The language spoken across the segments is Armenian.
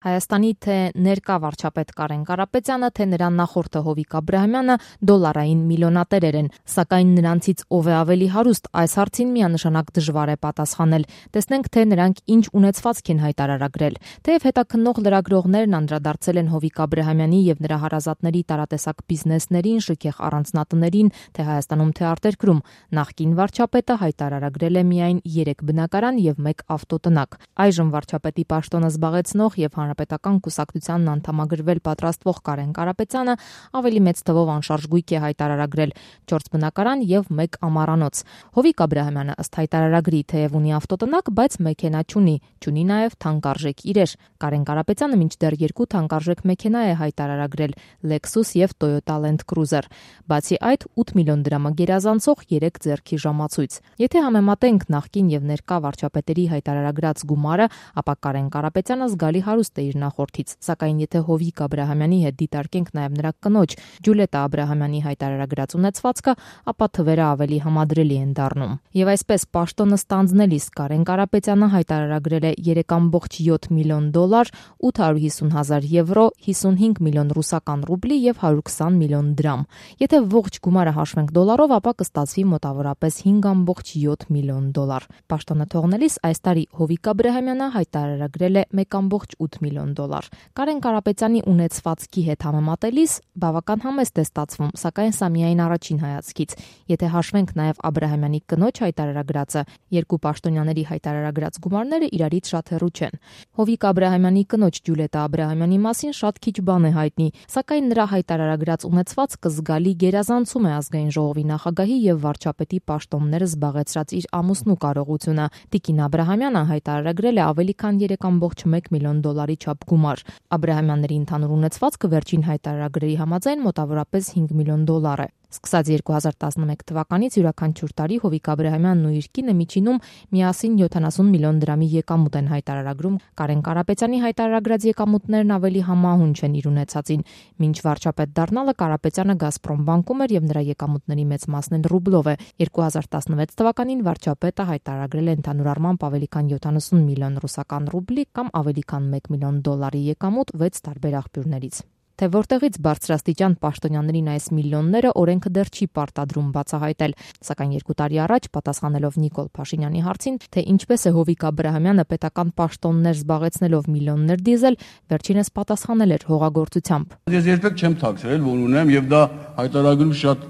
Հայաստանի թե ներկա վարչապետ Կարեն Կարապետյանը, թե նրան նախորդը Հովիկ Աբրահամյանը դոլարային միլիոնատերեր են, սակայն նրանցից ով է ավելի հարուստ, այս հարցին միանշանակ դժվար է պատասխանել։ Տեսնենք, թե նրանք ինչ ունեցվածք են հայտարարագրել։ Թեև հետաքննող լրագրողներն անդրադարձել են Հովիկ Աբրահամյանի եւ նրա հարազատների տարատեսակ բիզնեսներին, շքեղ առանձնատներին, թե Հայաստանում, թե արտերկրում, նախկին վարչապետը հայտարարագրել է միայն 3 բնակարան եւ 1 ավտոտնակ։ Այժմ վարչապետի պաշտոնը զբաղեցնող եւ Հանրապետական կուսակցությանն անդամագրվել պատրաստվող Կարեն Կարապետյանը ավելի մեծ թվով անշարժ գույք է հայտարարագրել 4 բնակարան եւ 1 ամառանոց։ Հովիկ Աբրահամյանը ըստ հայտարարագրի թեև ունի ավտոտնակ, բայց մեքենա չունի նաեւ թանկարժեք իրեր։ Կարեն Կարապետյանը մինչդեռ 2 թանկարժեք մեքենա է հայտարարագրել՝ Lexus եւ Toyota Land Cruiser։ Բացի այդ, 8 միլիոն դրամը գերազանցող 3 ձեռքի ժամացույց։ Եթե համեմատենք նախկին եւ ներկա վարչապետերի հայտարարագրած գումարը, ապա Կարեն Կարապետյանը զգալի հարուստ իր նախորդից, սակայն եթե Հովիկ Աբրահամյանի հետ դիտարկենք նաև նրա կնոջ Ջուլիետա Աբրահամյանի հայտարարագրած ունեցվածքը, ապա թվերը ավելի համադրելի են դառնում։ Եվ այսպես պաշտոնը ստանձնելիս Կարեն Կարապետյանը հայտարարագրել է 3.7 միլիոն դոլար, 850,000 եվրո, 55 միլիոն ռուսական ռուբլի եւ 120 միլիոն դրամ։ Եթե ողջ գումարը հաշվենք դոլարով, ապա կստացվի մոտավորապես 5.7 միլիոն դոլար։ Պաշտոնը թողնելիս այս տարի Հովիկ Աբրահամյանը հայտարարագրել է 1.8 միլիոն դոլար։ Կարեն Կարապետյանի ունեցվածքի հետ համեմատելիս բավական համեստ է ստացվում, սակայն սա միայն առաջին հայացքից։ Եթե հաշվենք նաև Աբրահամյանի կնոջ հայտարարագրածը, երկու պաշտոնյաների հայտարարագրած գումարները իրարից շատ հեռու չեն։ Հովիկ Աբրահամյանի կնոջ Ջուլիետա Աբրահամյանի մասին շատ քիչ բան է հայտնի, սակայն նրա հայտարարագրած ունեցվածքը զգալի գերազանցում է ազգային ժողովի նախագահի եւ վարչապետի պաշտոնները զբաղեցրած իր ամուսնու կարողությունը։ Տիկին Աբրահամյանը հայտարարագրել է ավելի քան 3.1 միլիոն դոլարի չափ գումար։ Աբրահամյանների ընդհանուր ունեցվածքը վերջին հայտարարագրերի համաձայն մոտավորապես 5 միլիոն դոլար է։ Սկսած 2011 թվականից յուրաքանչյուր տարի Հովիկ Աբրահամյանն ու իր կինը միջինում միասին 70 միլիոն դրամի եկամուտ են հայտարարագրում։ Կարեն Կարապետյանի հայտարարագրած եկամուտներն ավելի համահունչ են իր ունեցածին։ Մինչ վարչապետ դառնալը Կարապետյանը Գազպրոմ բանկում էր եւ նրա եկամուտների մեծ մասն էլ ռուբլով է։ 2016 թվականին վարչապետը հայտարարագրել է ընդհանուր առմամբ ավելի քան 70 միլիոն ռուսական ռուբլի կամ ավելի քան 1 միլիոն դոլարի եկամուտ 6 տարբեր աղբյուրներից։ Թե որտեղից բարձրաստիճան պաշտոնյաներին այս միլիոնները օրենքը դեռ չի պարտադրում բացահայտել, սակայն 2 տարի առաջ պատասխանելով Նիկոլ Փաշինյանի հարցին, թե ինչպես է Հովիկ Աբրահամյանը պետական պաշտոններ զբաղեցնելով միլիոններ դիզել, վերջինս պատասխանել էր հողագործությամբ։ Ես երբեք չեմ թաքցրել, որ ունեմ եւ դա հայտարարում շատ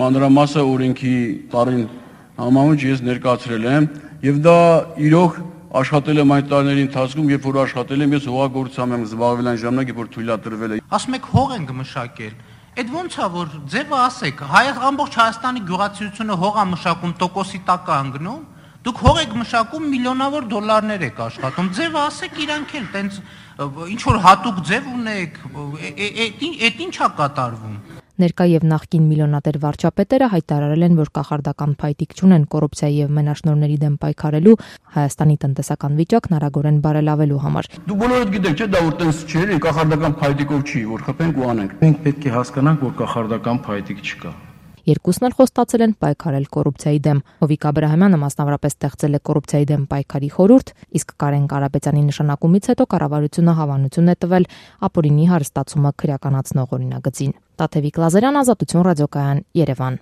մանրամասը օրենքի տարին համահունչ ես ներկայացրել եմ եւ դա իրոք աշխատել եմ այդ տարիների ընթացքում, երբ որ աշխատել եմ, ես հողագործությամբ եմ զբաղվել այն ժամանակ, երբ որ թույլատրվել է։ Ասում եք հող ենք մշակել։ Այդ ո՞նց է որ ձևը ասեք, ամբողջ Հայաստանի գյուղացիությունը հող է մշակում, տոկոսի տակ է ընկնում։ Դուք հող եք մշակում, միլիոնավոր դոլարներ եք աշխատում։ Ձևը ասեք իրանք էլ տենց ինչ որ հատուկ ձև ունեք, այդ ինչ է կատարվում։ Ներկա եւ նախկին միլիոնատեր վարչապետերը հայտարարել են, որ կախարդական փայտիկ չունեն կոռուպցիայի եւ մենաշնորհների դեմ պայքարելու, Հայաստանի տնտեսական վիճակն արագորեն բարելավելու համար։ Դու բոլորդ գիտեք, չէ՞, դա որ տենց չէ, կախարդական փայտիկով չի, որ խփենք ու անենք։ Մենք պետք է հասկանանք, որ կախարդական փայտիկ չկա։ Երկուսն էլ խոստացել են պայքարել կոռուպցիայի դեմ։ Հովիկ Աբրահամյանը մասնավորապես ստեղծել է կոռուպցիայի դեմ պայքարի խորհուրդ, իսկ Կարեն Կարապետյանի նշանակումից հետո կառավարությունը հավանություն է տվել ապօրինի հարստացումը քրեականացնող օրինագծին։ Տաթևիկ Լազարյան, Ազատություն ռադիոկայան, Երևան։